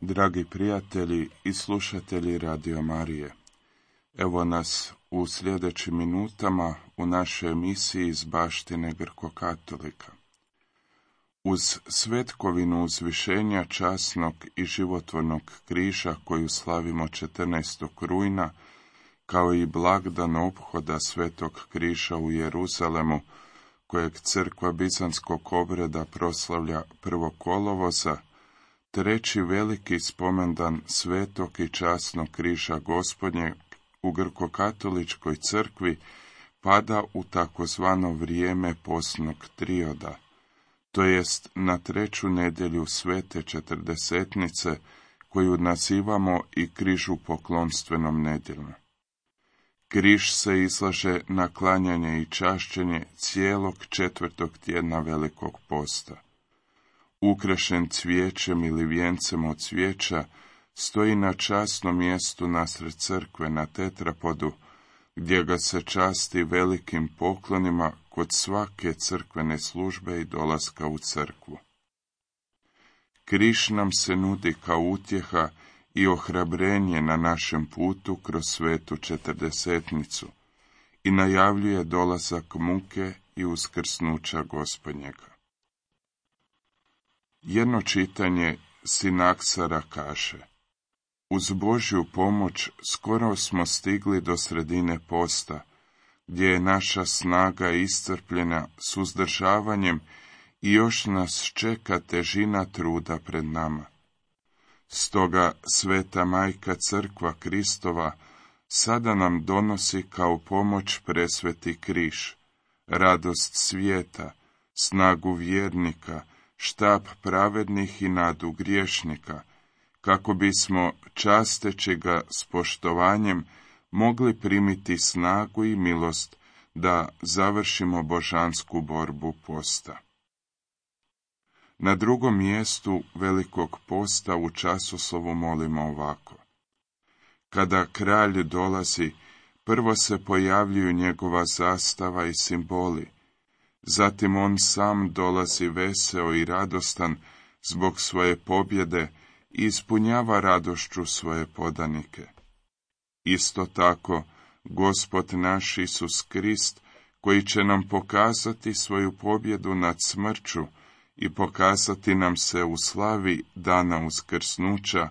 Dragi prijatelji i slušatelji Radio Marije, evo nas u sljedećim minutama u našoj emisiji iz baštine Grko-katolika. Uz svetkovinu uzvišenja časnog i životvornog križa koju slavimo 14. rujna, kao i blagdan ophoda Svetog križa u Jeruzalemu, kojeg crkva bizanskog obreda proslavlja 1. kolovoza, treći veliki spomendan Svetog i časnog križa Gospodnjeg u Grko-katoličkoj crkvi pada u takozvano vrijeme postnog trioda, to jest na treću nedjelju Svete četrdesetnice, koju nazivamo i križupoklonstvenom nedjeljom. Križ se izlaže na klanjanje i čašćenje cijelog 4. tjedna Velikog posta. Ukrašen cvijećem ili vijencem od cvijeća, stoji na časnom mjestu nasred crkve na tetrapodu, gdje ga se časti velikim poklonima kod svake crkvene službe i dolaska u crkvu. Križ nam se nudi kao utjeha i ohrabrenje na našem putu kroz svetu četrdesetnicu i najavljuje dolazak muke i uskrsnuća Gospodnjega. Jedno čitanje Sinaksara kaže: uz Božju pomoć skoro smo stigli do sredine posta, gdje je naša snaga iscrpljena suzdržavanjem i još nas čeka težina truda pred nama. Stoga Sveta Majka Crkva Kristova sada nam donosi kao pomoć presveti križ, radost svijeta, snagu vjernika, štab pravednih i nadu griješnika, kako bismo, časteći ga s poštovanjem, mogli primiti snagu i milost da završimo božansku borbu posta. Na drugom mjestu Velikog posta u časoslovu molimo ovako: kada kralj dolazi, prvo se pojavljuju njegova zastava i simboli, zatim on sam dolazi veseo i radostan zbog svoje pobjede i ispunjava radošću svoje podanike. Isto tako, Gospod naš Isus Krist, koji će nam pokazati svoju pobjedu nad smrću i pokazati nam se u slavi dana uskrsnuća,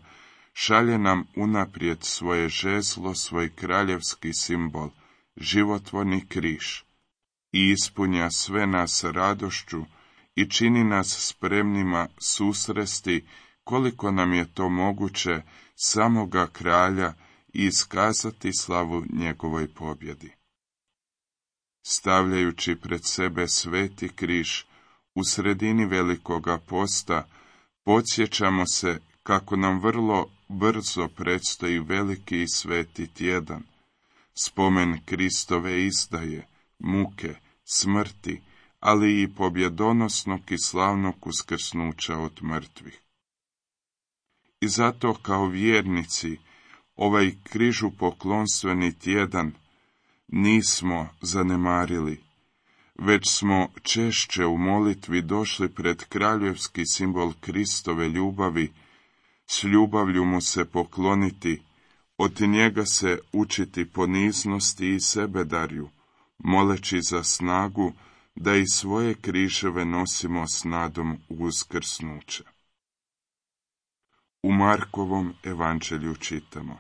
šalje nam unaprijed svoje žezlo, svoj kraljevski simbol, životvorni križ, i ispunja sve nas radošću i čini nas spremnima susresti, koliko nam je to moguće, samoga kralja i iskazati slavu njegovoj pobjedi. Stavljajući pred sebe sveti križ u sredini Velikoga posta, podsjećamo se kako nam vrlo brzo predstoji veliki i sveti tjedan, spomen Kristove izdaje, muke, smrti, ali i pobjedonosnog i slavnog uskrsnuća od mrtvih. I zato kao vjernici ovaj križupoklonstveni tjedan nismo zanemarili, već smo češće u molitvi došli pred kraljevski simbol Kristove ljubavi, s ljubavlju mu se pokloniti, od njega se učiti poniznosti i sebedarju, moleći za snagu da i svoje križeve nosimo s nadom uskrsnuća. U Markovom evanđelju čitamo: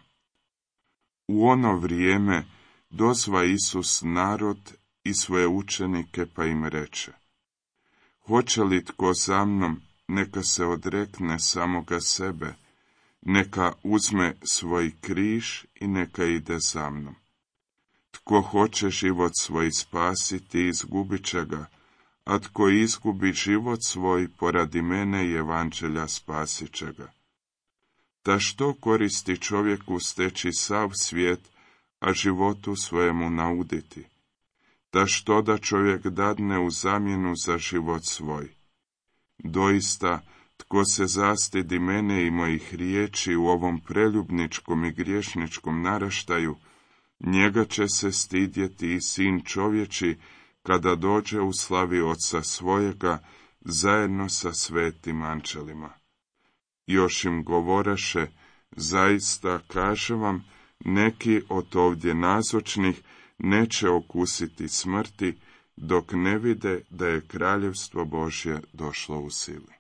u ono vrijeme dozva Isus narod i svoje učenike pa im reče: hoće li tko za mnom, neka se odrekne samoga sebe, neka uzme svoj križ i neka ide za mnom. Tko hoće život svoj spasiti, izgubit će ga, a tko izgubi život svoj poradi mene i evanđelja, spasit će ga. Ta što koristi čovjeku steći sav svijet, a životu svojemu nauditi? Ta što da čovjek dadne u zamjenu za život svoj? Doista, tko se zastidi mene i mojih riječi u ovom preljubničkom i griješničkom naraštaju, njega će se stidjeti i sin čovječi kada dođe u slavi Oca svojega zajedno sa svetim anđelima. Još im govoraše, zaista kažem vam, neki od ovdje nazočnih neće okusiti smrti, dok ne vide da je kraljevstvo Božje došlo u sili.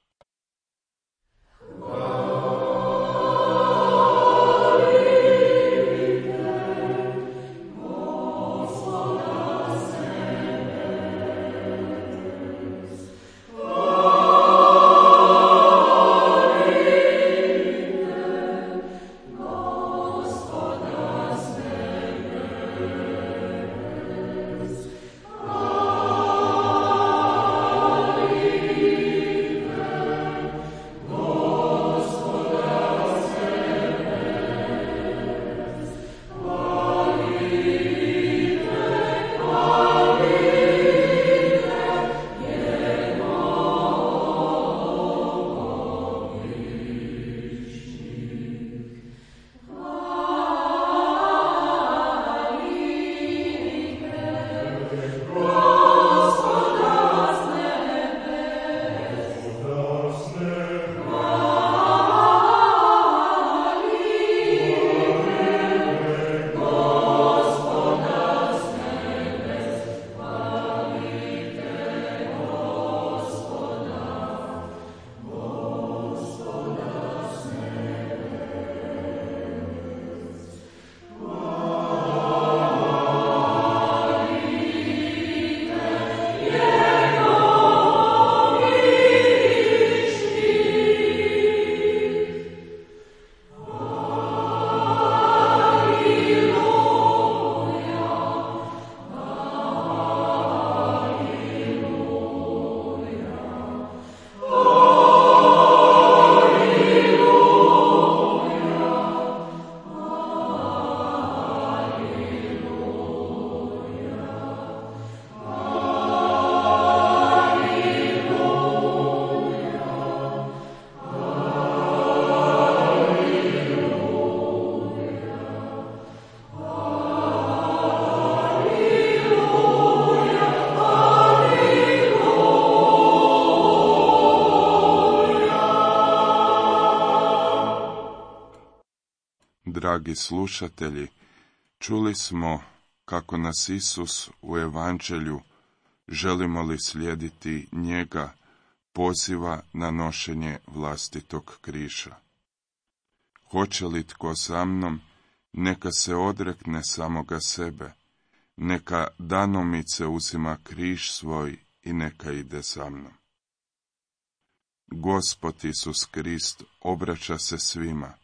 Dragi slušatelji, čuli smo kako nas Isus u Evanđelju, želimo li slijediti njega, poziva na nošenje vlastitog križa. Hoće li tko za mnom, neka se odrekne samoga sebe, neka danomice uzima križ svoj i neka ide za mnom. Gospod Isus Krist obraća se svima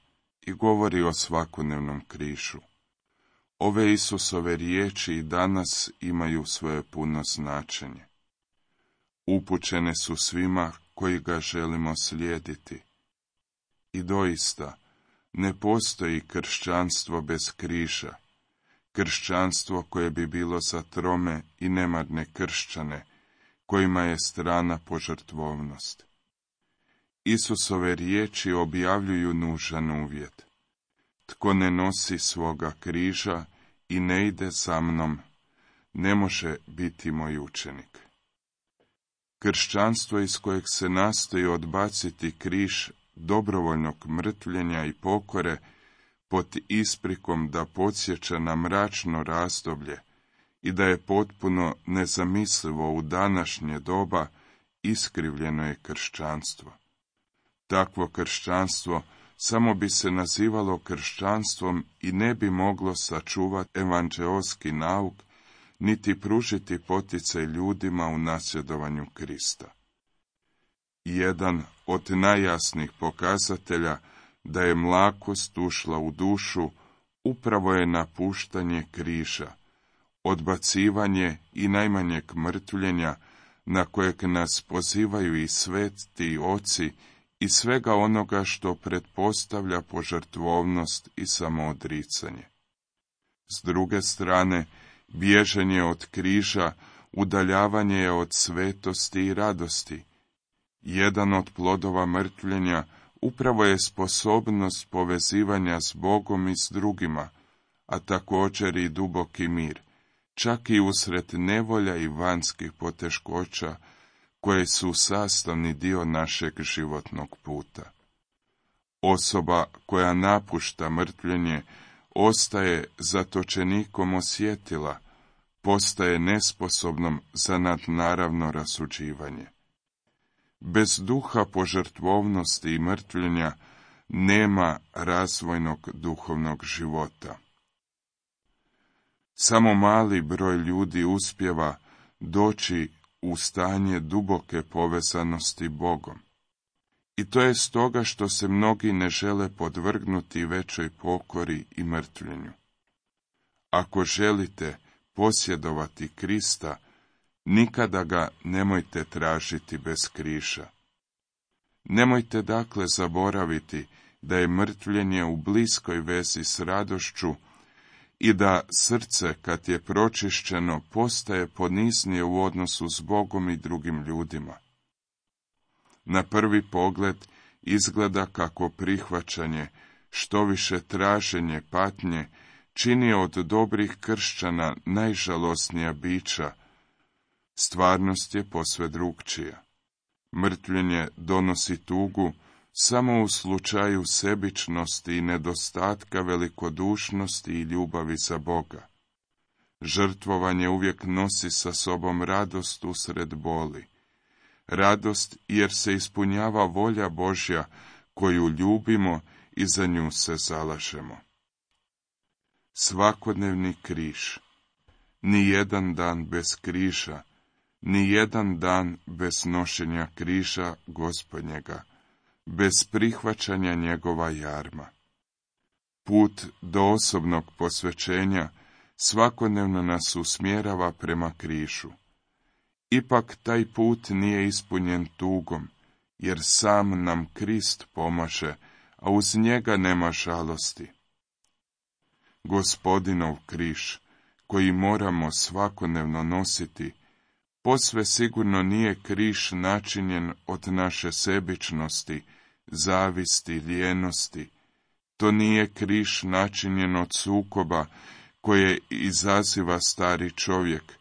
i govori o svakodnevnom križu. Ove Isusove riječi i danas imaju svoje puno značenje. Upućene su svima koji ga želimo slijediti. I doista, ne postoji kršćanstvo bez križa, kršćanstvo koje bi bilo za trome i nemarne kršćane, kojima je strana požrtvovnost. Isusove riječi objavljuju nužan uvjet. Tko ne nosi svoga križa i ne ide za mnom, ne može biti moj učenik. Kršćanstvo iz kojeg se nastoji odbaciti križ dobrovoljnog mrtvljenja i pokore pod isprikom da podsjeća na mračno razdoblje i da je potpuno nezamislivo u današnje doba, iskrivljeno je kršćanstvo. Takvo kršćanstvo samo bi se nazivalo kršćanstvom i ne bi moglo sačuvati evanđeoski nauk, niti pružiti poticaj ljudima u nasljedovanju Krista. Jedan od najjasnijih pokazatelja da je mlakost ušla u dušu upravo je napuštanje križa, odbacivanje i najmanjeg mrtvljenja na kojeg nas pozivaju i sveti oci i svega onoga što pretpostavlja požrtvovnost i samoodricanje. S druge strane, bježanje od križa, udaljavanje je od svetosti i radosti. Jedan od plodova mrtvljenja upravo je sposobnost povezivanja s Bogom i s drugima, a također i duboki mir, čak i usred nevolja i vanjskih poteškoća, koje su sastavni dio našeg životnog puta. Osoba koja napušta mrtvljenje ostaje zatočenikom osjetila, postaje nesposobnom za nadnaravno rasuđivanje. Bez duha požrtvovnosti i mrtvljenja nema razvojnog duhovnog života. Samo mali broj ljudi uspijeva doći u stanje duboke povezanosti Bogom. I to je stoga što se mnogi ne žele podvrgnuti većoj pokori i mrtvljenju. Ako želite posjedovati Krista, nikada ga nemojte tražiti bez križa. Nemojte dakle zaboraviti da je mrtvljenje u bliskoj vezi s radošću i da srce, kad je pročišćeno, postaje poniznije u odnosu s Bogom i drugim ljudima. Na prvi pogled izgleda kako prihvaćanje, štoviše traženje patnje, čini od dobrih kršćana najžalosnija bića. Stvarnost je posve drukčija. Mrtvljenje donosi tugu samo u slučaju sebičnosti i nedostatka velikodušnosti i ljubavi za Boga. Žrtvovanje uvijek nosi sa sobom radost usred boli. Radost jer se ispunjava volja Božja koju ljubimo i za nju se zalažemo. Svakodnevni križ. Ni jedan dan bez križa, ni jedan dan bez nošenja križa Gospodnjega, bez prihvaćanja njegova jarma. Put do osobnog posvećenja svakodnevno nas usmjerava prema križu. Ipak taj put nije ispunjen tugom, jer sam nam Krist pomaže, a uz njega nema žalosti. Gospodinov križ, koji moramo svakodnevno nositi, posve sigurno nije križ načinjen od naše sebičnosti, zavisti, lijenosti. To nije križ načinjen od sukoba koje izaziva stari čovjek,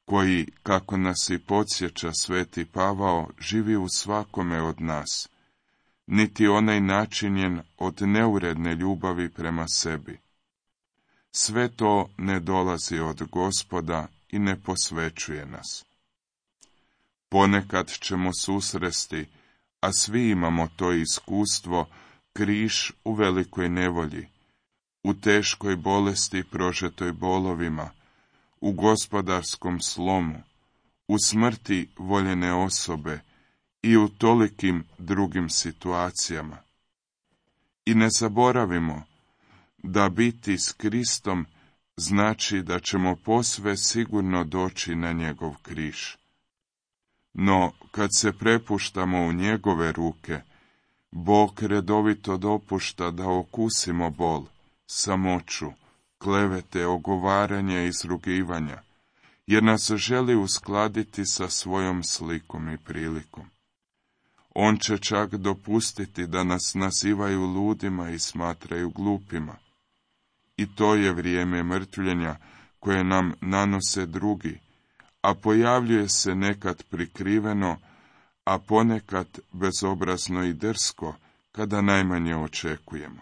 koji, kako nas i podsjeća sveti Pavao, živi u svakome od nas, niti onaj načinjen od neuredne ljubavi prema sebi. Sve to ne dolazi od Gospoda i ne posvećuje nas. Ponekad ćemo susresti, a svi imamo to iskustvo, križ u velikoj nevolji, u teškoj bolesti prožetoj bolovima, u gospodarskom slomu, u smrti voljene osobe i u tolikim drugim situacijama. I ne zaboravimo da biti s Kristom znači da ćemo posve sigurno doći na njegov križ. No, kad se prepuštamo u njegove ruke, Bog redovito dopušta da okusimo bol, samoću, klevete, ogovaranja i izrugivanja, jer nas želi uskladiti sa svojom slikom i prilikom. On će čak dopustiti da nas nazivaju ludima i smatraju glupima. I to je vrijeme mrtvljenja koje nam nanose drugi, a pojavljuje se nekad prikriveno, a ponekad bezobrazno i drsko, kada najmanje očekujemo.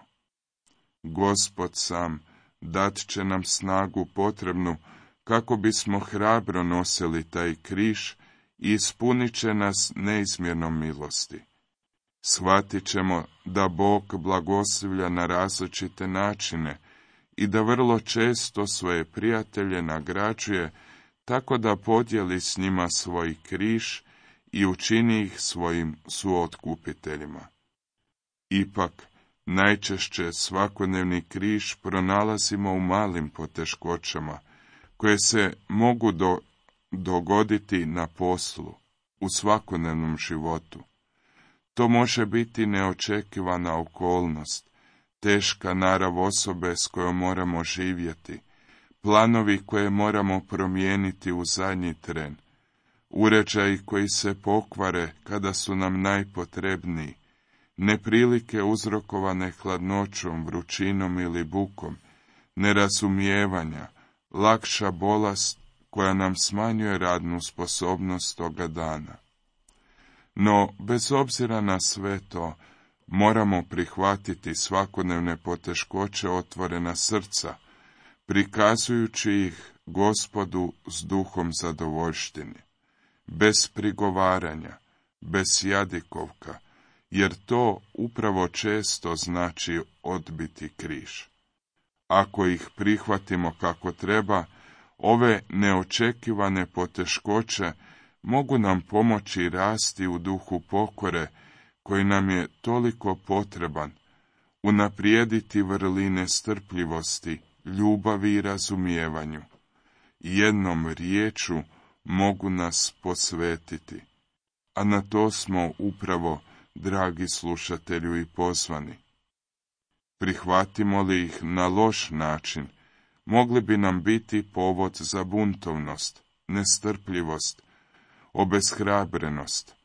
Gospod sam dat će nam snagu potrebnu kako bismo hrabro nosili taj križ i ispunit će nas neizmjernom milosti. Shvatit ćemo da Bog blagoslivlja na različite načine i da vrlo često svoje prijatelje nagrađuje tako da podijeli s njima svoj križ i učini ih svojim suotkupiteljima. Ipak, najčešće svakodnevni križ pronalazimo u malim poteškoćama, koje se mogu dogoditi na poslu, u svakodnevnom životu. To može biti neočekivana okolnost, teška narav osobe s kojom moramo živjeti, planovi koje moramo promijeniti u zadnji tren, uređaji koji se pokvare kada su nam najpotrebniji, neprilike uzrokovane hladnoćom, vrućinom ili bukom, nerazumijevanja, lakša bolest koja nam smanjuje radnu sposobnost toga dana. No, bez obzira na sve to, Moramo prihvatiti svakodnevne poteškoće otvorena srca, prikazujući ih Gospodu s duhom zadovoljštine, bez prigovaranja, bez jadikovka, jer to upravo često znači odbiti križ. Ako ih prihvatimo kako treba, ove neočekivane poteškoće mogu nam pomoći rasti u duhu pokore, koji nam je toliko potreban, unaprijediti vrline strpljivosti, ljubavi i razumijevanju. Jednom riječu mogu nas posvetiti, a na to smo upravo, dragi slušatelju, i pozvani. Prihvatimo li ih na loš način, mogli bi nam biti povod za buntovnost, nestrpljivost, obeshrabrenost.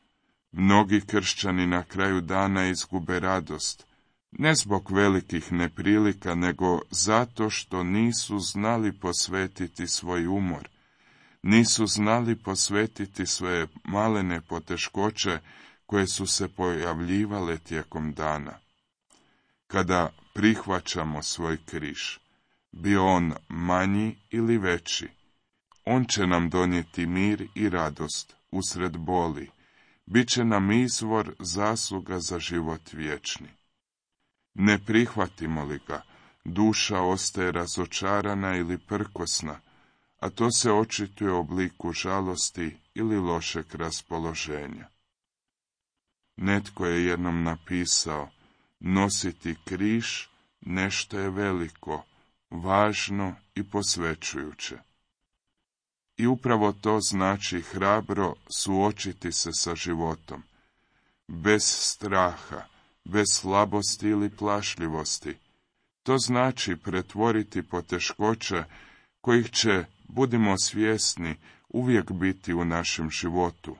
Mnogi kršćani na kraju dana izgube radost, ne zbog velikih neprilika, nego zato što nisu znali posvetiti svoj umor, nisu znali posvetiti svoje malene poteškoće koje su se pojavljivale tijekom dana. Kada prihvaćamo svoj križ, bio on manji ili veći, on će nam donijeti mir i radost usred boli, bit će nam izvor zasluga za život vječni. Ne prihvatimo li ga, duša ostaje razočarana ili prkosna, a to se očituje u obliku žalosti ili lošeg raspoloženja. Netko je jednom napisao: nositi križ nešto je veliko, važno i posvećujuće. I upravo to znači hrabro suočiti se sa životom, bez straha, bez slabosti ili plašljivosti. To znači pretvoriti poteškoće kojih će, budimo svjesni, uvijek biti u našem životu,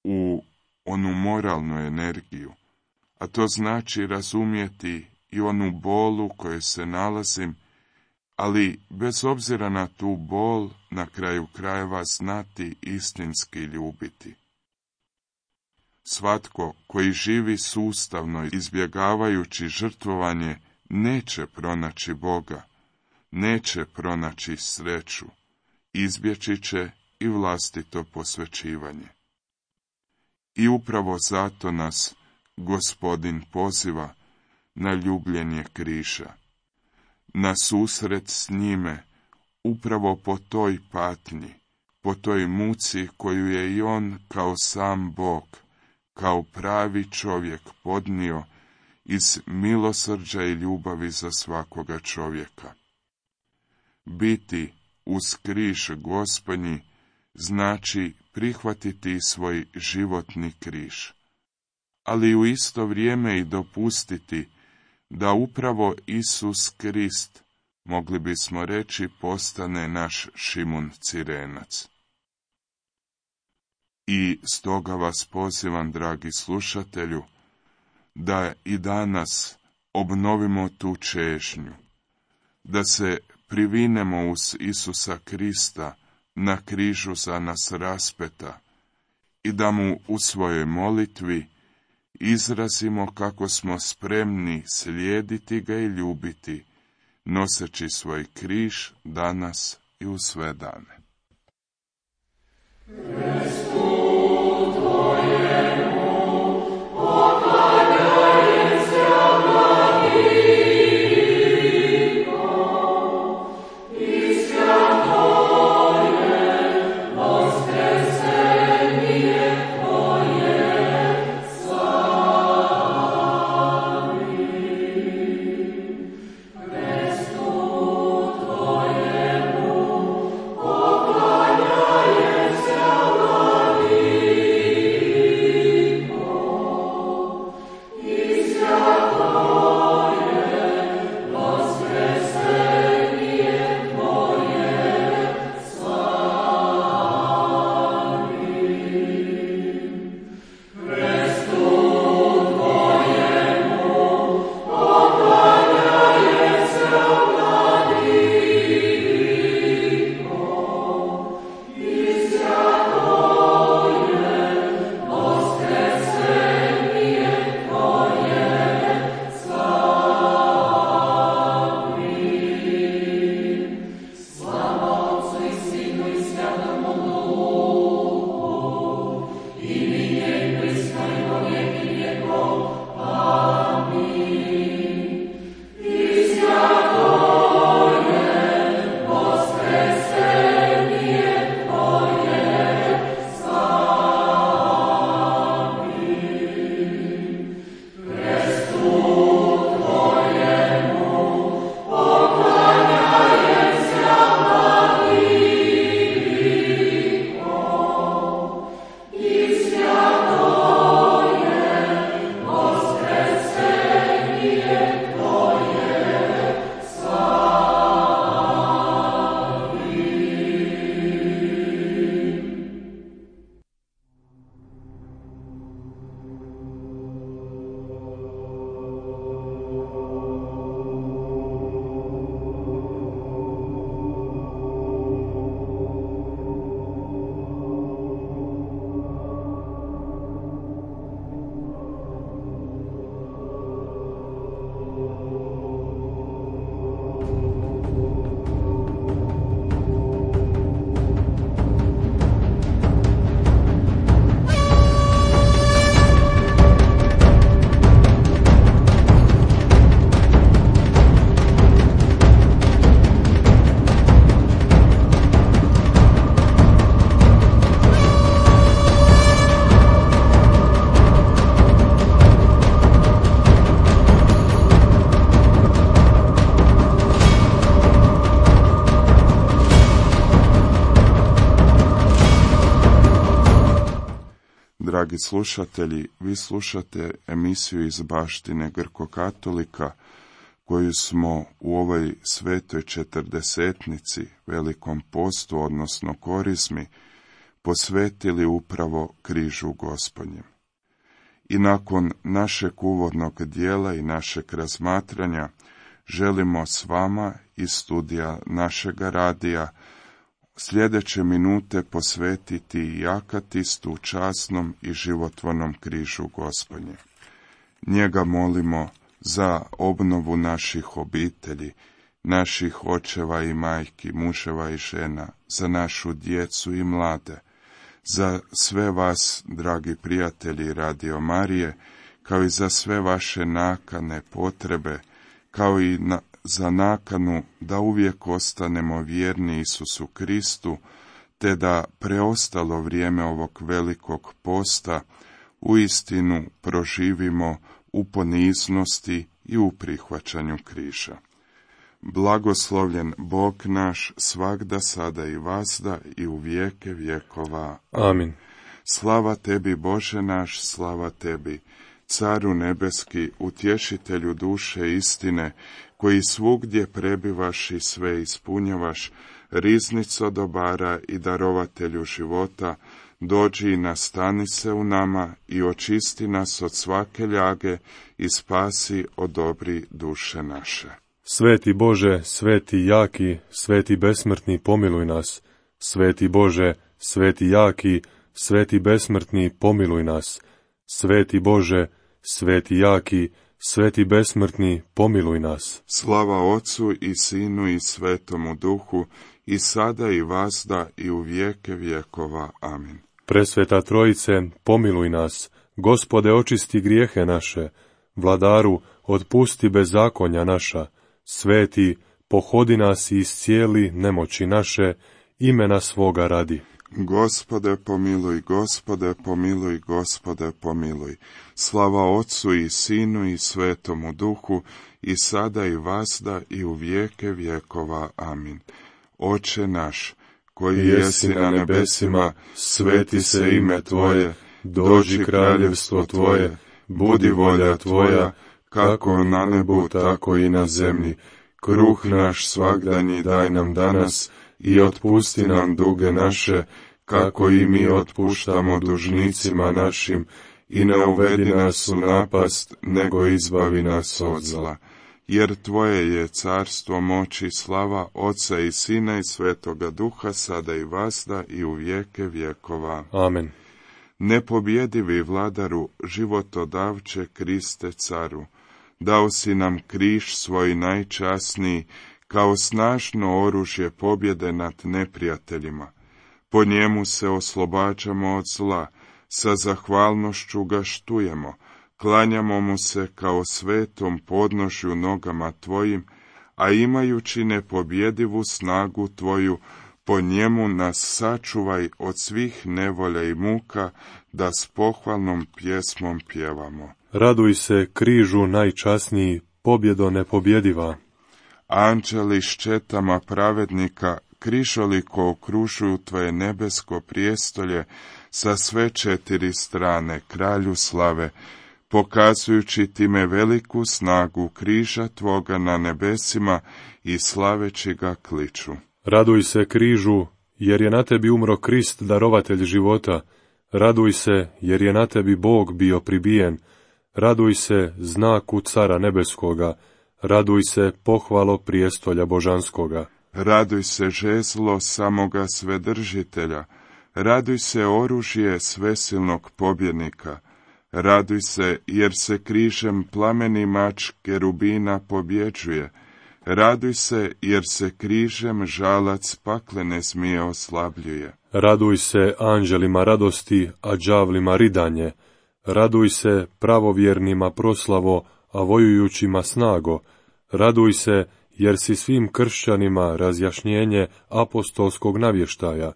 u onu moralnu energiju, a to znači razumjeti i onu bol u kojoj se nalazim, ali bez obzira na tu bol, na kraju krajeva znati istinski ljubiti. Svatko koji živi sustavno izbjegavajući žrtvovanje neće pronaći Boga, neće pronaći sreću, izbjeći će i vlastito posvećivanje. I upravo zato nas Gospodin poziva na ljubljenje križa, na susret s njime, upravo po toj patnji, po toj muci koju je i on kao sam Bog, kao pravi čovjek podnio iz milosrđa i ljubavi za svakoga čovjeka. Biti uz križ Gospodnji znači prihvatiti svoj životni križ, ali u isto vrijeme i dopustiti da upravo Isus Krist, mogli bismo reći, postane naš Šimun Cirenac. I stoga vas pozivam, dragi slušatelju, da i danas obnovimo tu čežnju, da se privinemo uz Isusa Krista na križu za nas raspeta i da mu u svojoj molitvi izrazimo kako smo spremni slijediti ga i ljubiti, noseći svoj križ danas i u sve dane. Tvoje dragi slušatelji, vi slušate emisiju iz baštine Grko-katolika, koju smo u ovoj svetoj četrdesetnici, velikom postu, odnosno korizmi, posvetili upravo križu Gospodnjem. I nakon našeg uvodnog dijela i našeg razmatranja, želimo s vama iz studija našega radija sljedeće minute posvetiti i akatistu, časnom i životvornom križu Gospodnje. Njega molimo za obnovu naših obitelji, naših očeva i majki, muževa i žena, za našu djecu i mlade, za sve vas, dragi prijatelji Radio Marije, kao i za sve vaše nakane, potrebe, kao i za nakanu da uvijek ostanemo vjerni Isusu Kristu, te da preostalo vrijeme ovog velikog posta uistinu proživimo u poniznosti i u prihvaćanju križa. Blagoslovljen Bog naš, svagda, sada i vazda i u vijeke vjekova. Amin. Slava tebi, Bože naš, slava tebi, Caru nebeski, utješitelju duše istine, koji svugdje prebivaš i sve ispunjavaš, riznico dobara i darovatelju života, dođi i nastani se u nama i očisti nas od svake ljage i spasi, odobri duše naše. Sveti Bože, sveti jaki, sveti besmrtni, pomiluj nas. Sveti Bože, sveti jaki, sveti besmrtni, pomiluj nas. Sveti Bože, sveti jaki, sveti besmrtni, pomiluj nas. Slava Otcu i Sinu i Svetomu Duhu, i sada i vazda i u vijeke vjekova. Amin. Presveta Trojice, pomiluj nas. Gospode, očisti grijehe naše. Vladaru, otpusti bezakonja naša. Sveti, pohodi nas i iscijeli nemoći naše, imena svoga radi. Gospode pomiluj, Gospode pomiluj, Gospode pomiluj. Slava Otcu i Sinu i Svetomu Duhu, i sada i vazda i u vijeke vjekova. Amin. Oče naš, koji jesi na nebesima, sveti se ime Tvoje, dođi kraljevstvo Tvoje, budi volja Tvoja, kako na nebu, tako i na zemlji. Kruh naš svagdanji daj nam danas i otpusti nam duge naše, kako i mi otpuštamo dužnicima našim, i ne uvedi nas u napast, nego izbavi nas od zla. Jer Tvoje je carstvo, moć i slava, Oca i Sina i Svetoga Duha, sada i vazda i u vijeke vjekova. Amen. Nepobjedivi vladaru, životodavče, Kriste caru, dao si nam križ svoj najčasniji, kao snažno oružje pobjede nad neprijateljima. Po njemu se oslobađamo od zla, sa zahvalnošću ga štujemo, klanjamo mu se kao svetom podnožju nogama Tvojim, a imajući nepobjedivu snagu Tvoju, po njemu nas sačuvaj od svih nevolja i muka, da s pohvalnom pjesmom pjevamo. Raduj se, križu najčasniji, pobjedo nepobjediva. Anđeli s četama pravednika križoliko okružuju Tvoje nebesko prijestolje sa sve četiri strane, Kralju slave, pokazujući time veliku snagu križa Tvoga na nebesima i slaveći ga kliču. Raduj se, križu, jer je na tebi umro Krist, darovatelj života. Raduj se, jer je na tebi Bog bio pribijen. Raduj se, znaku cara nebeskoga. Raduj se, pohvalo prijestolja božanskoga. Raduj se, žezlo samoga svedržitelja. Raduj se, oružje svesilnog pobjednika. Raduj se, jer se križem plameni mač kerubina pobjeđuje. Raduj se, jer se križem žalac paklene zmije oslabljuje. Raduj se, anđelima radosti, a đavlima ridanje. Raduj se, pravovjernima proslavo, a vojujućima snago. Raduj se, jer si svim kršćanima razjašnjenje apostolskog navještaja.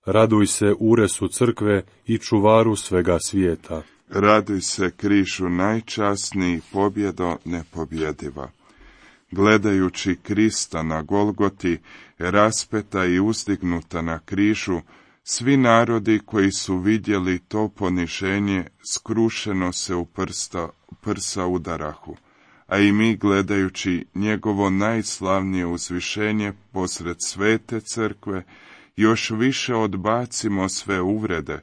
Raduj se, uresu crkve i čuvaru svega svijeta. Raduj se, križu najčasniji, pobjedo nepobjediva. Gledajući Krista na Golgoti, raspeta i uzdignuta na križu, Svi narodi koji su vidjeli to poniženje, skrušeno se u prsa udarahu, a i mi gledajući njegovo najslavnije uzvišenje posred svete crkve, još više odbacimo sve uvrede,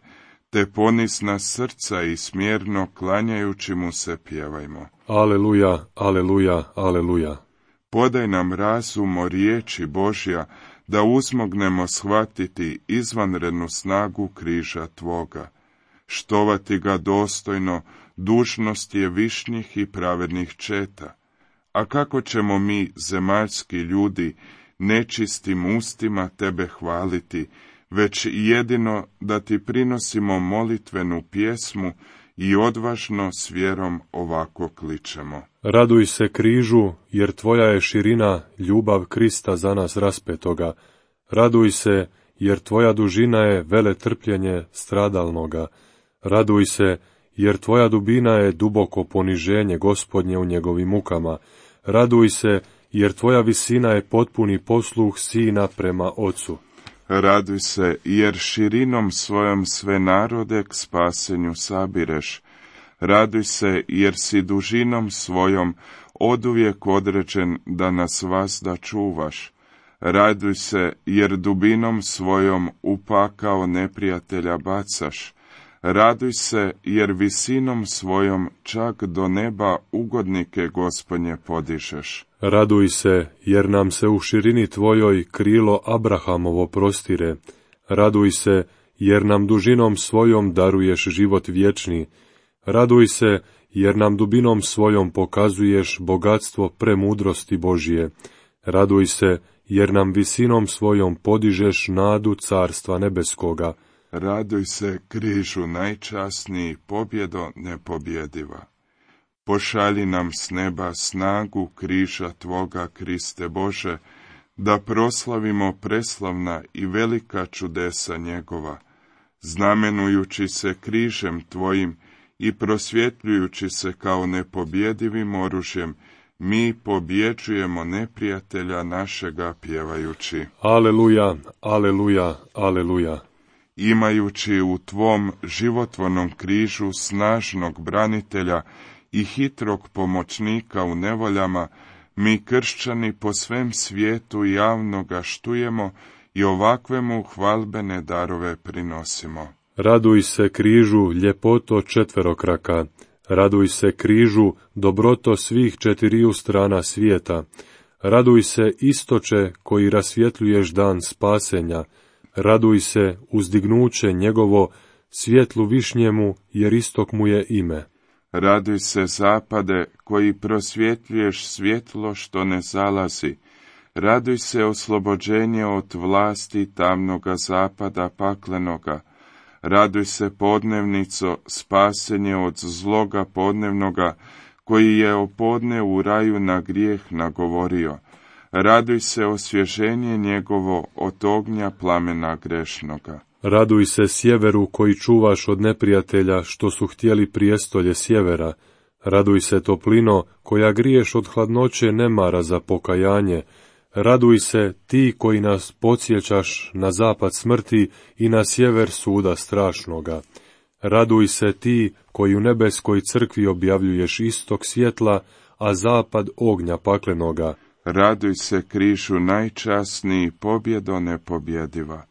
te ponizna srca i smjerno klanjajući mu se pjevajmo. Aleluja, aleluja, aleluja. Podaj nam razum o riječi Božja, da uzmognemo shvatiti izvanrednu snagu križa Tvoga. Štovati ga dostojno, dužnost je višnjih i pravednih četa. A kako ćemo mi, zemaljski ljudi, nečistim ustima Tebe hvaliti, već jedino da Ti prinosimo molitvenu pjesmu i odvažno s vjerom ovako kličemo. Raduj se križu, jer Tvoja je širina ljubav Krista za nas raspetoga. Raduj se, jer Tvoja dužina je veletrpljenje stradalnoga. Raduj se, jer Tvoja dubina je duboko poniženje Gospodnje u njegovim mukama. Raduj se, jer Tvoja visina je potpuni posluh Sina prema Ocu. Raduj se, jer širinom svojom sve narode k spasenju sabireš. Raduj se, jer si dužinom svojom oduvijek određen da nas vazda čuvaš. Raduj se, jer dubinom svojom u pakao neprijatelja bacaš. Raduj se, jer visinom svojom čak do neba ugodnike Gospodnje podižeš. Raduj se, jer nam se u širini Tvojoj krilo Abrahamovo prostire. Raduj se, jer nam dužinom svojom daruješ život vječni. Raduj se, jer nam dubinom svojom pokazuješ bogatstvo premudrosti Božije. Raduj se, jer nam visinom svojom podižeš nadu carstva nebeskoga. Raduj se, križu najčasniji, pobjedo nepobjediva. Pošalji nam s neba snagu križa Tvoga, Kriste Bože, da proslavimo preslavna i velika čudesa njegova, znamenujući se križem Tvojim i prosvjetljujući se kao nepobjedivim oružjem, mi pobjeđujemo neprijatelja našega pjevajući. Aleluja, aleluja, aleluja. Imajući u Tvom životvornom križu snažnog branitelja i hitrog pomoćnika u nevoljama, mi kršćani po svem svijetu javno ga štujemo i ovakve mu hvalbene darove prinosimo. Raduj se križu, ljepoto četverokraka. Raduj se križu, dobroto svih četiriju strana svijeta. Raduj se istoče koji rasvjetljuješ dan spasenja. Raduj se uzdignuće njegovo, svjetlu višnjemu, jer istok mu je ime. Raduj se zapade koji prosvjetljuješ svjetlo što ne zalazi. Raduj se oslobođenje od vlasti tamnoga zapada paklenoga. Raduj se podnevnico, spasenje od zloga podnevnoga, koji je o podne u raju na grijeh nagovorio. Raduj se osvježenje njegovo od ognja plamena grešnoga. Raduj se sjeveru koji čuvaš od neprijatelja što su htjeli prijestolje sjevera. Raduj se toplino koja griješ od hladnoće nemara za pokajanje. Raduj se ti koji nas podsjećaš na zapad smrti i na sjever suda strašnoga. Raduj se ti koji u nebeskoj crkvi objavljuješ istok svjetla, a zapad ognja paklenoga. Raduj se križu najčasniji, pobjedo nepobjediva.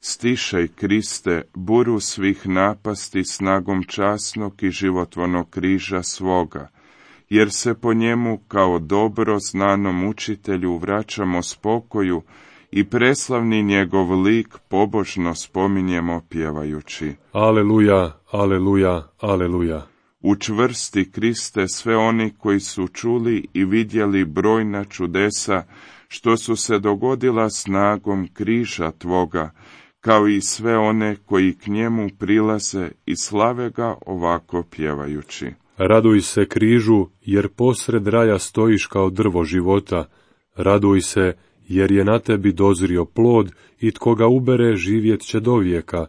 Stišaj, Kriste, buru svih napasti snagom časnog i životvornog križa svoga, jer se po njemu kao dobro znanom učitelju vraćamo spokoju i preslavni njegov lik pobožno spominjemo pjevajući. Aleluja, aleluja, aleluja. Učvrsti, Kriste, sve oni koji su čuli i vidjeli brojna čudesa što su se dogodila snagom križa Tvoga, kao i sve one koji k njemu prilaze i slave ga ovako pjevajući. Raduj se križu, jer posred raja stojiš kao drvo života. Raduj se, jer je na tebi dozrio plod i tko ga ubere živjet će do vijeka.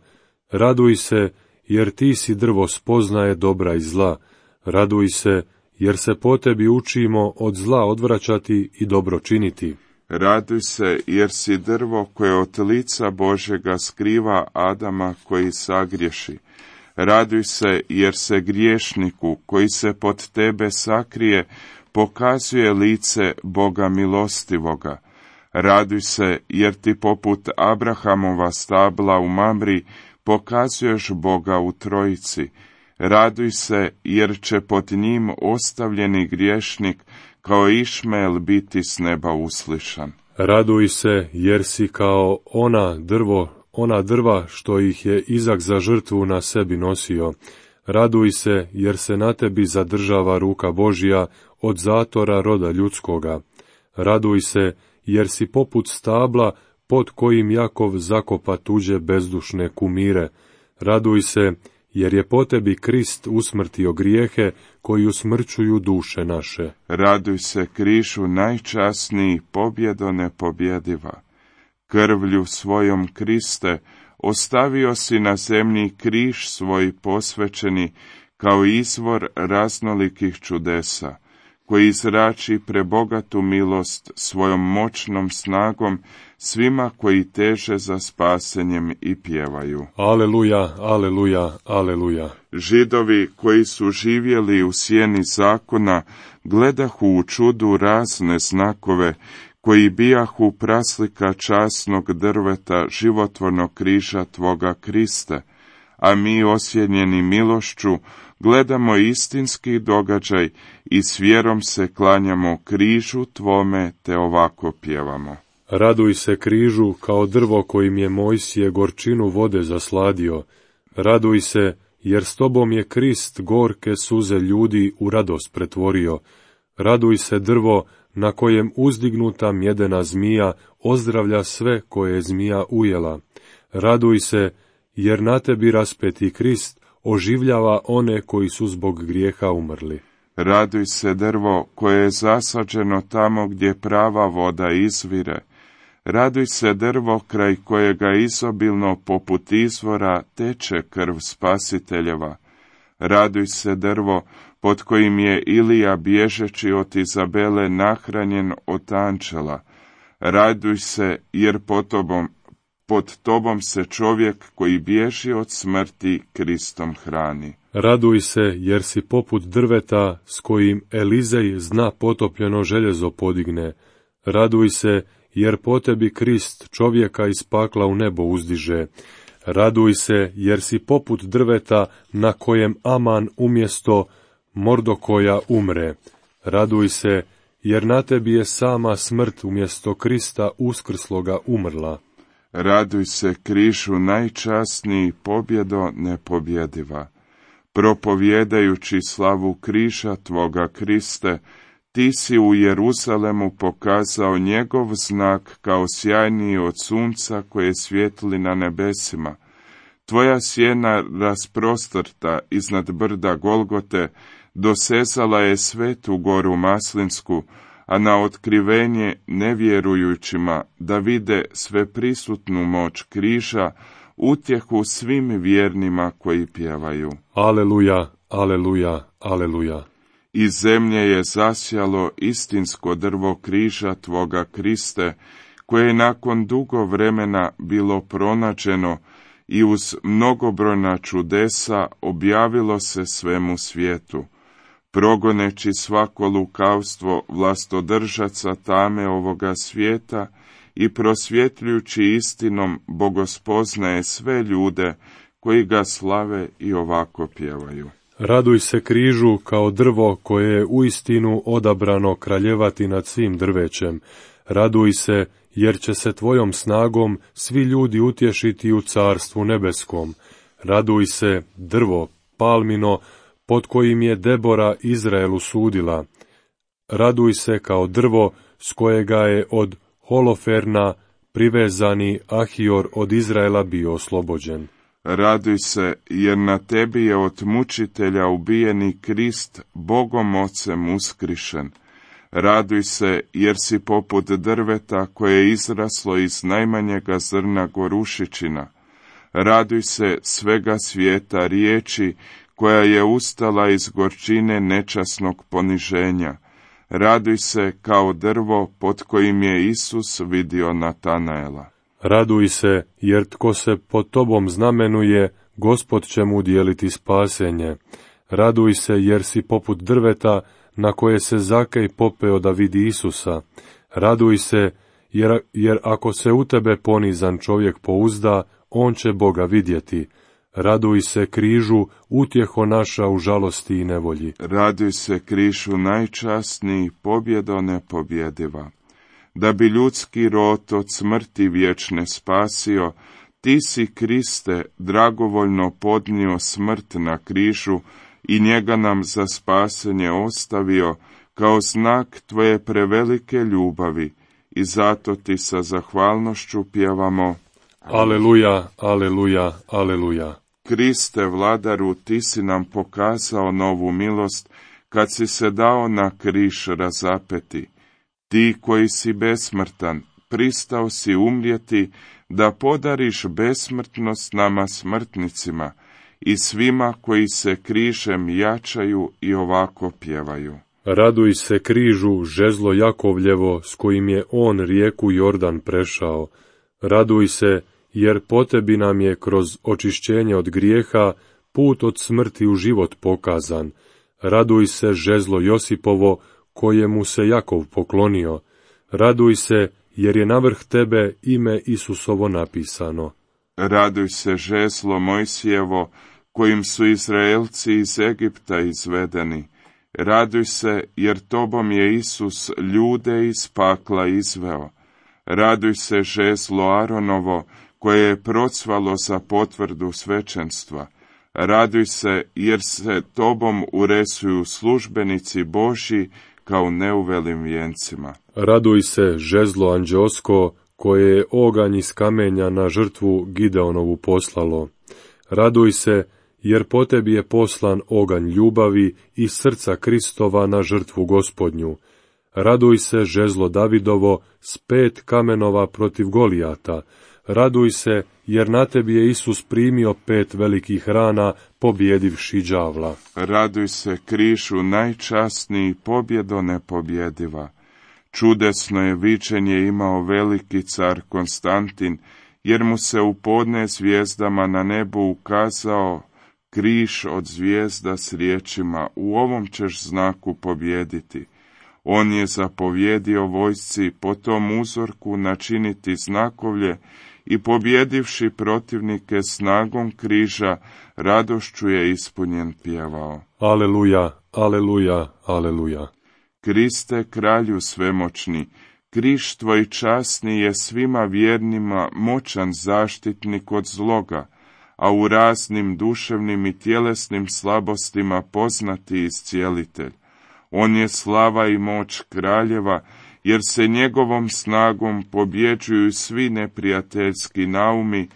Raduj se, jer ti si drvo spoznaje dobra i zla. Raduj se, jer se po tebi učimo od zla odvraćati i dobro činiti. Raduj se, jer si drvo koje od lica Božjega skriva Adama koji sagriješi. Raduj se, jer se griješniku koji se pod tebe sakrije pokazuje lice Boga milostivoga. Raduj se, jer ti poput Abrahamova stabla u Mamri pokazuješ Boga u Trojici. Raduj se, jer će pod njim ostavljeni griješnik kao Išmael biti s neba uslišan. Raduj se, jer si kao ona drva što ih je Izak za žrtvu na sebi nosio. Raduj se, jer se na tebi zadržava ruka Božja od zatora roda ljudskoga. Raduj se, jer si poput stabla pod kojim Jakov zakopa tuđe bezdušne kumire. Raduj se, jer je po tebi Krist usmrtio grijehe koji usmrćuju duše naše. Raduj se, križu najčasniji, pobjedo nepobjediva. Krvlju svojom, Kriste, ostavio si na zemlji križ svoj posvećeni kao izvor raznolikih čudesa, koji zrači prebogatu milost svojom moćnom snagom svima koji teže za spasenjem i pjevaju. Aleluja, aleluja, aleluja. Židovi koji su živjeli u sjeni zakona gledahu u čudu razne znakove koji bijahu praslika časnog drveta životvornog križa Tvoga, Kriste, a mi osjenjeni milošću gledamo istinski događaj i s vjerom se klanjamo križu Tvome te ovako pjevamo. Raduj se, križu, kao drvo kojim je Mojsije gorčinu vode zasladio. Raduj se, jer s tobom je Krist gorke suze ljudi u radost pretvorio. Raduj se, drvo na kojem uzdignuta mjedena zmija ozdravlja sve koje je zmija ujela. Raduj se, jer na tebi raspeti Krist oživljava one koji su zbog grijeha umrli. Raduj se, drvo koje je zasađeno tamo gdje prava voda izvire. Raduj se, drvo kraj kojega izobilno poput izvora teče krv spasiteljeva. Raduj se, drvo pod kojim je Ilija bježeći od Izabele nahranjen od anđela. Raduj se, jer pod tobom se čovjek koji bježi od smrti Kristom hrani. Raduj se, jer si poput drveta s kojim Elizej zna potopljeno željezo podigne. Raduj se, jer po tebi Krist čovjeka iz pakla u nebo uzdiže. Raduj se, jer si poput drveta na kojem Aman umjesto Mordokoja umre. Raduj se, jer na tebi je sama smrt umjesto Krista uskrsloga umrla. Raduj se, križu najčasniji, pobjedo nepobjediva. Propovjedajući slavu križa Tvoga, Kriste, ti si u Jeruzalemu pokazao njegov znak kao sjajniji od sunca koje svijetli na nebesima. Tvoja sjena rasprostrta iznad brda Golgote dosezala je svetu goru Maslinsku, a na otkrivenje nevjerujućima da vide sveprisutnu moć križa, utjehu svim vjernima koji pjevaju. Aleluja, aleluja, aleluja. Iz zemlje je zasjalo istinsko drvo križa Tvoga, Kriste, koje je nakon dugo vremena bilo pronađeno i uz mnogobrojna čudesa objavilo se svemu svijetu. Progoneći svako lukavstvo vlastodržaca tame ovoga svijeta i prosvjetljujući istinom bogospoznaje sve ljude koji ga slave i ovako pjevaju. Raduj se, križu, kao drvo koje je uistinu odabrano kraljevati nad svim drvećem. Raduj se, jer će se tvojom snagom svi ljudi utješiti u carstvu nebeskom. Raduj se, drvo palmino, pod kojim je Debora Izraelu sudila. Raduj se, kao drvo s kojega je od Holoferna privezani Ahior od Izraela bio oslobođen. Raduj se, jer na tebi je od mučitelja ubijeni Krist Bogom Ocem uskrišen. Raduj se, jer si poput drveta koje je izraslo iz najmanjega zrna gorušičina. Raduj se, svega svijeta riječi koja je ustala iz gorčine nečasnog poniženja. Raduj se kao drvo pod kojim je Isus vidio Natanaela. Raduj se, jer tko se pod tobom znamenuje, Gospod će mu udijeliti spasenje. Raduj se, jer si poput drveta na koje se Zakej popeo da vidi Isusa. Raduj se, jer ako se u tebe ponizan čovjek pouzda, on će Boga vidjeti. Raduj se križu, utjeho naša u žalosti i nevolji. Raduj se križu najčasniji, pobjedo nepobjediva. Da bi ljudski rod od smrti vječne spasio, ti si, Kriste, dragovoljno podnio smrt na križu i njega nam za spasenje ostavio kao znak tvoje prevelike ljubavi, i zato ti sa zahvalnošću pjevamo: Aleluja, aleluja, aleluja. Kriste, vladaru, ti si nam pokazao novu milost kad si se dao na križ razapeti. Ti koji si besmrtan, pristao si umrijeti da podariš besmrtnost nama smrtnicima i svima koji se križem jačaju i ovako pjevaju. Raduj se križu, žezlo Jakovljevo, s kojim je on rijeku Jordan prešao. Raduj se, jer po tebi nam je kroz očišćenje od grijeha put od smrti u život pokazan. Raduj se, žezlo Josipovo, kojemu se Jakov poklonio. Raduj se, jer je navrh tebe ime Isusovo napisano. Raduj se, žezlo Mojsijevo, kojim su Izraelci iz Egipta izvedeni. Raduj se, jer tobom je Isus ljude iz pakla izveo. Raduj se, žezlo Aronovo, koje je procvalo za potvrdu svećenstva. Raduj se, jer se tobom uresuju službenici Božji kao neuvelim vijencima. Raduj se, žezlo anđeosko, koje je oganj iz kamenja na žrtvu Gideonovu poslalo. Raduj se, jer po tebi je poslan oganj ljubavi iz srca Kristova na žrtvu Gospodnju. Raduj se, žezlo Davidovo, s 5 kamenova protiv Golijata. Raduj se, jer na tebi je Isus primio 5 velikih rana, pobjedivši đavla. Raduj se, križu najčasniji, pobjedo nepobjediva. Čudesno je viđenje imao veliki car Konstantin, jer mu se u podne zvijezdama na nebu ukazao križ od zvijezda s riječima: u ovom ćeš znaku pobjediti. On je zapovjedio vojsci po tom uzorku načiniti znakovlje i pobjedivši protivnike snagom križa, radošću je ispunjen pjevao: Aleluja, aleluja, aleluja. Kriste, kralju svemoćni, križ tvoj časni je svima vjernima moćan zaštitnik od zloga, a u raznim duševnim i tjelesnim slabostima poznati iscijelitelj. On je slava i moć kraljeva, jer se njegovom snagom pobjeđuju svi neprijateljski naumi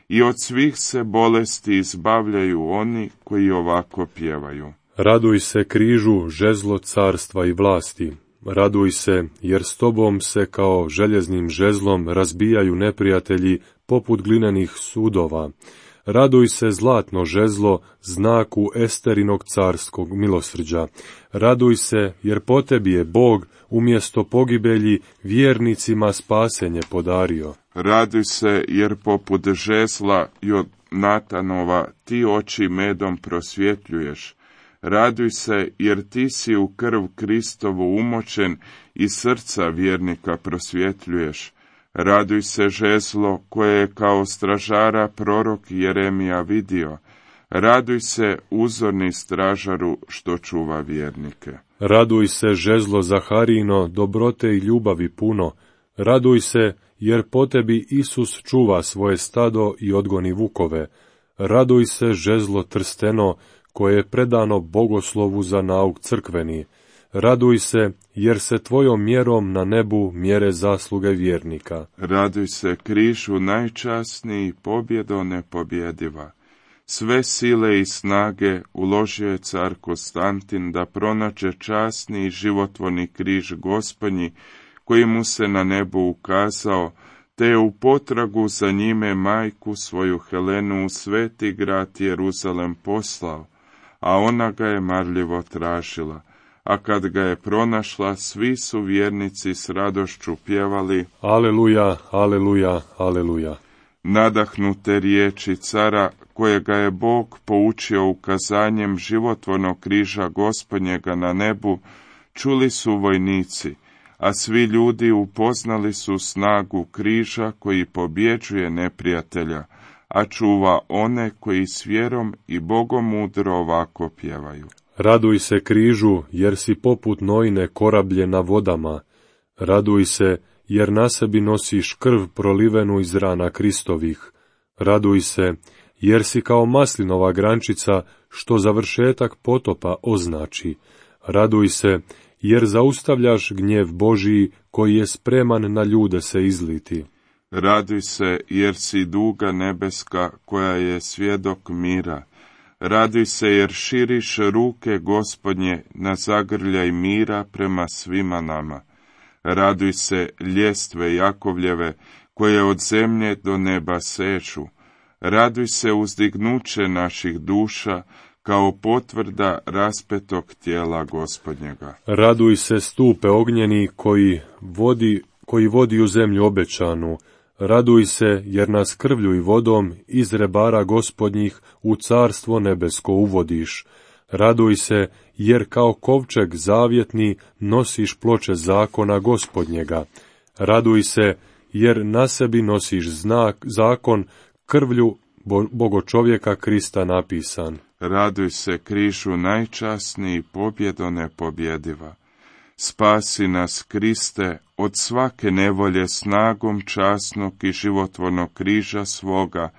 i od svih se bolesti izbavljaju oni koji ovako pjevaju. Raduj se križu, žezlo carstva i vlasti. Raduj se, jer s tobom se kao željeznim žezlom razbijaju neprijatelji poput glinenih sudova. Raduj se, zlatno žezlo, znaku Esterinog carskog milosrđa. Raduj se, jer po tebi je Bog umjesto pogibelji vjernicima spasenje podario. Raduj se, jer poput žezla Jonatanova ti oči medom prosvjetljuješ. Raduj se, jer ti si u krv Kristovu umočen i srca vjernika prosvjetljuješ. Raduj se, žezlo koje je kao stražara prorok Jeremija vidio. Raduj se, uzorni stražaru što čuva vjernike. Raduj se, žezlo Zaharino, dobrote i ljubavi puno. Raduj se, jer po tebi Isus čuva svoje stado i odgoni vukove. Raduj se, žezlo Trsteno, koje je predano bogoslovu za nauk crkveni. Raduj se, jer se tvojom mjerom na nebu mjere zasluge vjernika. Raduj se, križu najčasniji, pobjedo nepobjediva. Sve sile i snage uložio je car Konstantin da pronađe časni i životvorni križ Gospodnji, koji mu se na nebu ukazao, te je u potragu za njime majku svoju Helenu u sveti grad Jeruzalem poslao, a ona ga je marljivo tražila. a kad ga je pronašla, svi su vjernici s radošću pjevali: Aleluja, aleluja, aleluja. Nadahnute riječi cara, kojega je Bog poučio ukazanjem životvornog križa Gospodnjega na nebu, čuli su vojnici, a svi ljudi upoznali su snagu križa koji pobjeđuje neprijatelja, a čuva one koji s vjerom i bogomudro ovako pjevaju. Raduj se križu, jer si poput Noine korablje na vodama. Raduj se, jer na sebi nosiš krv prolivenu iz rana Kristovih. Raduj se, jer si kao maslinova grančica, što završetak potopa označi. Raduj se, jer zaustavljaš gnjev Božiji, koji je spreman na ljude se izliti. Raduj se, jer si duga nebeska, koja je svjedok mira. Raduj se, jer širiš ruke Gospodnje na zagrljaj mira prema svima nama. Raduj se, ljestve Jakovljeve, koje od zemlje do neba sežu. Raduj se, uzdignuće naših duša, kao potvrda raspetog tijela Gospodnjega. Raduj se, stupe ognjeni koji vodi u zemlju obećanu. Raduj se, jer nas krvlju i vodom iz rebara Gospodnjih u carstvo nebesko uvodiš. Raduj se, jer kao kovčeg zavjetni nosiš ploče zakona Gospodnjega. Raduj se, jer na sebi nosiš zakon krvlju Bogočovjeka Krista napisan. Raduj se, križu najčasniji, pobjedo nepobjediva. Spasi nas, Kriste, od svake nevolje snagom časnog i životvornog križa svoga,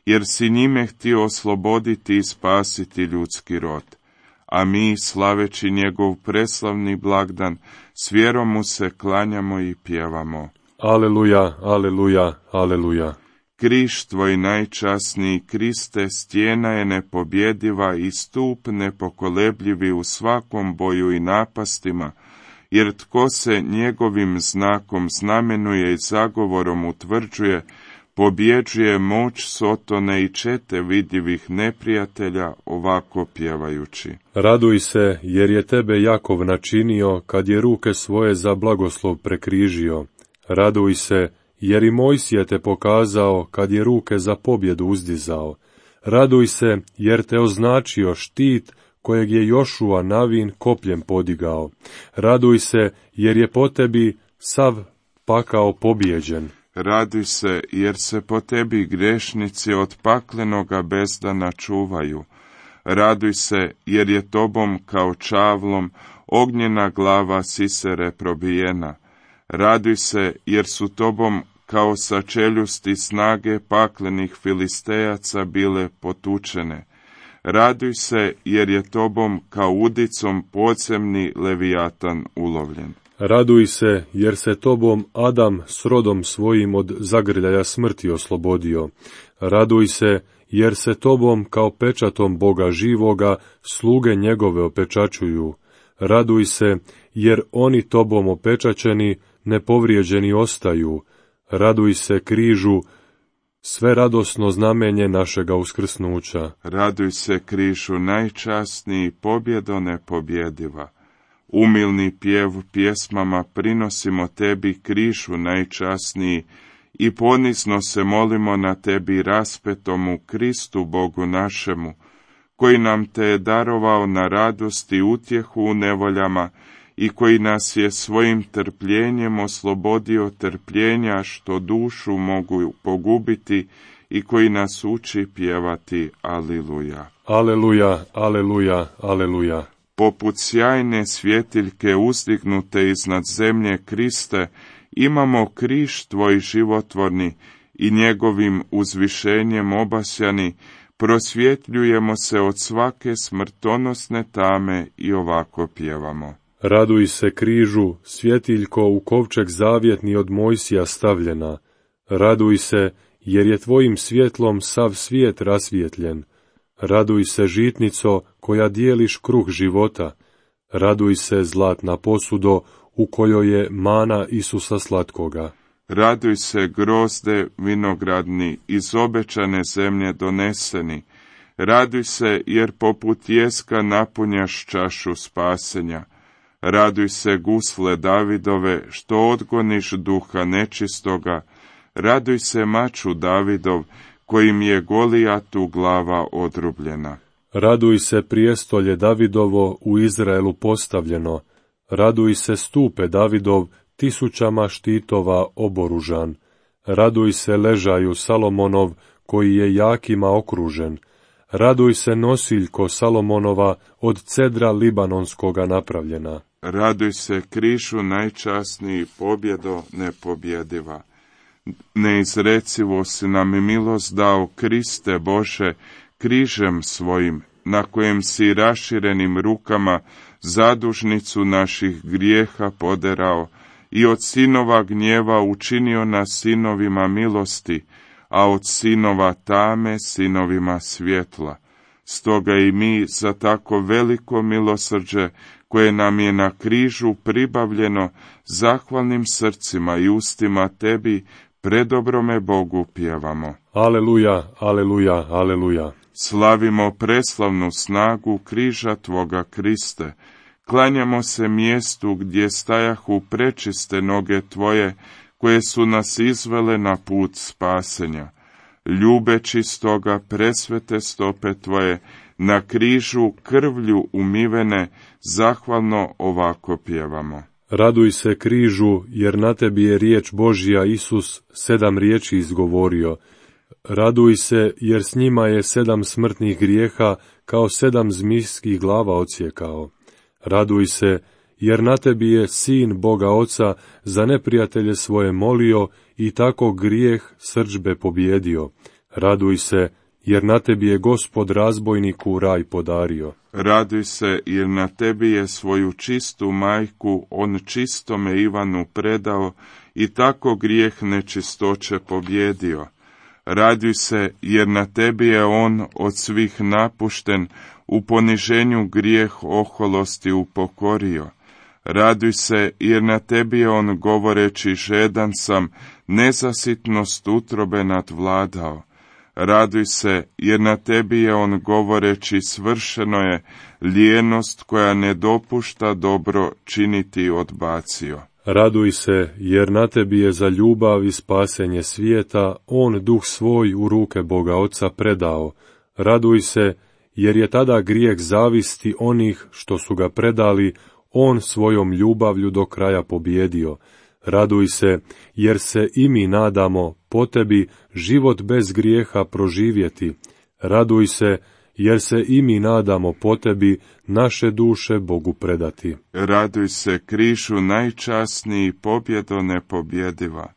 jer si njime htio osloboditi i spasiti ljudski rod. A mi, slaveći njegov preslavni blagdan, s vjerom mu se klanjamo i pjevamo. Aleluja, aleluja, aleluja. Križ tvoj najčasniji, Kriste, stijena je nepobjediva i stup nepokolebljivi u svakom boju i napastima, jer tko se njegovim znakom znamenuje i zagovorom utvrđuje, pobjeđuje moć Sotone i čete vidljivih neprijatelja, ovako pjevajući. Raduj se, jer je tebe Jakov načinio, kad je ruke svoje za blagoslov prekrižio. Raduj se, jer i Mojsije te pokazao, kad je ruke za pobjedu uzdizao. Raduj se, jer te označio štit, kojeg je Jošua Navin kopljem podigao. Raduj se, jer je po tebi sav pakao pobjeđen. Raduj se, jer se po tebi grešnici od paklenoga bezdana čuvaju. Raduj se, jer je tobom kao čavlom ognjena glava Sisere probijena. Raduj se, jer su tobom kao sa čeljusti snage paklenih Filistejaca bile potučene. Raduj se, jer je tobom kao udicom podzemni Levijatan ulovljen. Raduj se, jer se tobom Adam s rodom svojim od zagrljaja smrti oslobodio. Raduj se, jer se tobom kao pečatom Boga živoga sluge njegove opečačuju. Raduj se, jer oni tobom opečačeni nepovrijeđeni ostaju. Raduj se, križu, sve radosno znamenje našega uskrsnuća. Raduj se, križu najčasniji, pobjedo nepobjediva. Umilni pjev pjesmama prinosimo tebi, križu najčasniji, i ponizno se molimo na tebi, raspetomu Kristu Bogu našemu, koji nam te je darovao na radost i utjehu u nevoljama i koji nas je svojim trpljenjem oslobodio trpljenja što dušu mogu pogubiti i koji nas uči pjevati Aliluja. Aleluja, aleluja, aleluja. Poput sjajne svjetiljke uzdignute iznad zemlje, Kriste, imamo križ tvoj životvorni i njegovim uzvišenjem obasjani prosvjetljujemo se od svake smrtonosne tame i ovako pjevamo. Raduj se, križu, svjetiljko u kovčeg zavjetni od Mojsija stavljena. Raduj se, jer je tvojim svjetlom sav svijet rasvjetljen. Raduj se, žitnico, koja dijeliš kruh života. Raduj se, zlatna posudo, u kojoj je mana Isusa slatkoga. Raduj se, grozde vinogradni, iz obećane zemlje doneseni. Raduj se, jer poput jeska napunjaš čašu spasenja. Raduj se, gusle Davidove, što odgoniš duha nečistoga. Raduj se, maču Davidov, kojim je Golijatu glava odrubljena. Raduj se, prijestolje Davidovo, u Izraelu postavljeno. Raduj se, stupe Davidov, tisućama štitova oboružan. Raduj se, ležaju Salomonov, koji je jakima okružen. Raduj se, nosiljko Salomonova, od cedra libanonskoga napravljena. Raduj se, križu najčasniji, pobjedo nepobjediva. Neizrecivo si nam milost dao, Kriste Bože, križem svojim, na kojem si raširenim rukama zadužnicu naših grijeha poderao i od sinova gnjeva učinio nas sinovima milosti, a od sinova tame sinovima svjetla. Stoga i mi za tako veliko milosrđe, koje nam je na križu pribavljeno, zahvalnim srcima i ustima tebi, predobrome Bogu pjevamo. Aleluja, aleluja, aleluja. Slavimo preslavnu snagu križa Tvoga, Kriste. Klanjamo se mjestu gdje stajahu prečiste noge Tvoje, koje su nas izvele na put spasenja. Ljubeći stoga presvete stope Tvoje, na križu krvlju umivene, zahvalno ovako pjevamo. Raduj se, križu, jer na tebi je riječ Božja, Isus 7 riječi izgovorio. Raduj se, jer s njima je 7 smrtnih grijeha, kao 7 zmijskih glava odsjekao. Raduj se, jer na tebi je Sin Boga Oca za neprijatelje svoje molio i tako grijeh srdžbe pobjedio. Raduj se, jer na tebi je Gospod razbojniku raj podario. Raduj se, jer na tebi je svoju čistu majku on čistome Ivanu predao i tako grijeh nečistoće pobjedio. Raduj se, jer na tebi je on od svih napušten, u poniženju grijeh oholosti upokorio. Raduj se, jer na tebi je on govoreći žedan sam, nezasitnost utrobe nadvladao. Raduj se, jer na tebi je on govoreći svršeno je, lijenost koja ne dopušta dobro činiti odbacio. Raduj se, jer na tebi je za ljubav i spasenje svijeta on duh svoj u ruke Boga Oca predao. Raduj se, jer je tada grijeh zavisti onih što su ga predali, on svojom ljubavlju do kraja pobjedio. Raduj se, jer se i mi nadamo po tebi život bez grijeha proživjeti. Raduj se, jer se i mi nadamo po tebi naše duše Bogu predati. Raduj se, križu najčasniji, pobjedo nepobjediva.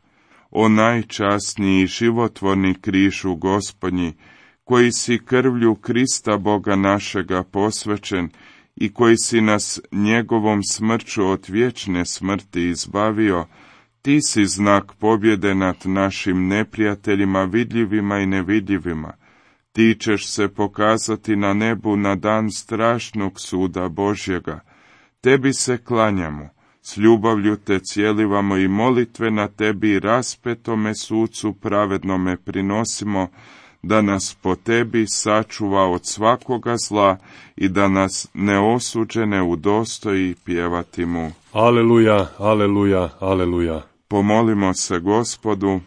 O najčasniji životvorni križu Gospodnji, koji si krvlju Krista Boga našega posvećen i koji si nas njegovom smrću od vječne smrti izbavio, ti si znak pobjede nad našim neprijateljima vidljivima i nevidljivima. Ti ćeš se pokazati na nebu na dan strašnog suda Božjega. Tebi se klanjamo, s ljubavlju te cijelivamo i molitve na tebi raspetome sucu pravednome prinosimo, da nas po tebi sačuva od svakoga zla i da nas neosuđene udostoji pjevati mu. Aleluja, aleluja, aleluja. Pomolimo se Gospodu.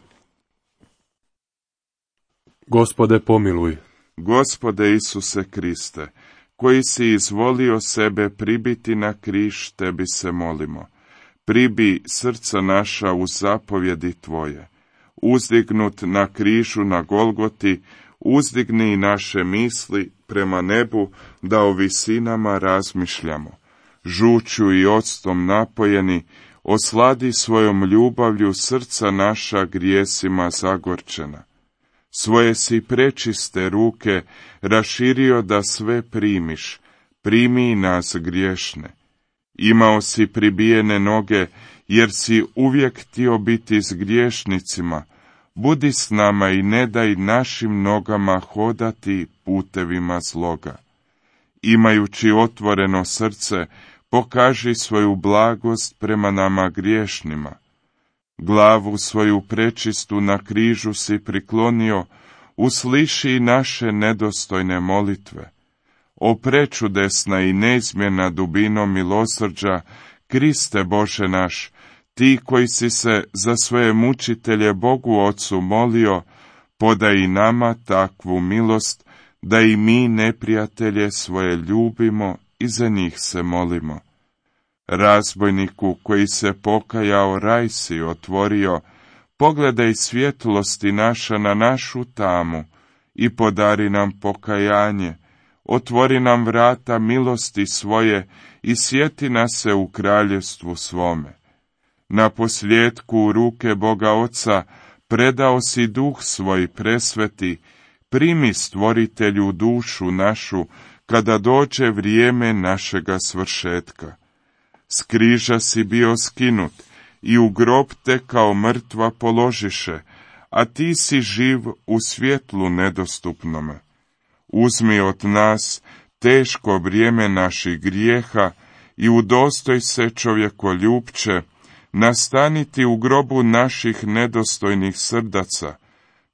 Gospode, pomiluj. Gospode Isuse Kriste, koji si izvolio sebe pribiti na križ, tebi se molimo. Pribi srca naša u zapovjedi Tvoje. Uzdignut na križu na Golgoti, uzdigni naše misli prema nebu, da o visinama razmišljamo. Žuću i octom napojeni, osladi svojom ljubavlju srca naša grijesima zagorčena. Svoje si prečiste ruke raširio da sve primiš, primi nas griješne. Imao si pribijene noge, jer si uvijek htio biti s griješnicima. Budi s nama i ne daj našim nogama hodati putevima zloga. Imajući otvoreno srce, pokaži svoju blagost prema nama griješnima. Glavu svoju prečistu na križu si priklonio, usliši naše nedostojne molitve. O prečudesna i neizmjerna dubino milosrđa, Kriste Bože naš, ti koji si se za svoje mučitelje Bogu Ocu molio, podaj i nama takvu milost, da i mi neprijatelje svoje ljubimo i za njih se molimo. Razbojniku koji se pokajao, raj si otvorio, pogledaj svjetlosti naša na našu tamu i podari nam pokajanje, otvori nam vrata milosti svoje i sjeti nas se u kraljevstvu svome. Na posljetku u ruke Boga Oca predao si duh svoj presveti, primi stvoritelju dušu našu, kada dođe vrijeme našega svršetka. S križa si bio skinut i u grob te kao mrtva položiše, a ti si živ u svjetlu nedostupnome. Uzmi od nas teško vrijeme naših grijeha i udostoj se, čovjekoljupče, nastaniti u grobu naših nedostojnih srdaca,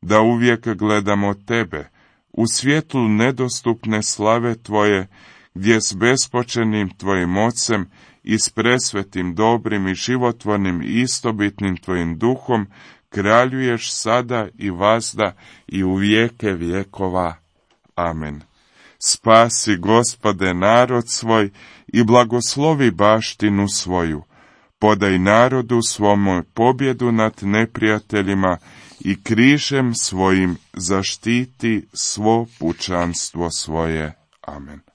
da uvijek gledamo tebe, u svjetlu nedostupne slave tvoje, gdje s bespočenim tvojim ocem i s presvetim, dobrim i životvornim i istobitnim tvojim duhom kraljuješ sada i vazda i u vijeke vjekova. Amen. Spasi, Gospode, narod svoj i blagoslovi baštinu svoju. Podaj narodu svome pobjedu nad neprijateljima i križem svojim zaštiti svo pučanstvo svoje. Amen.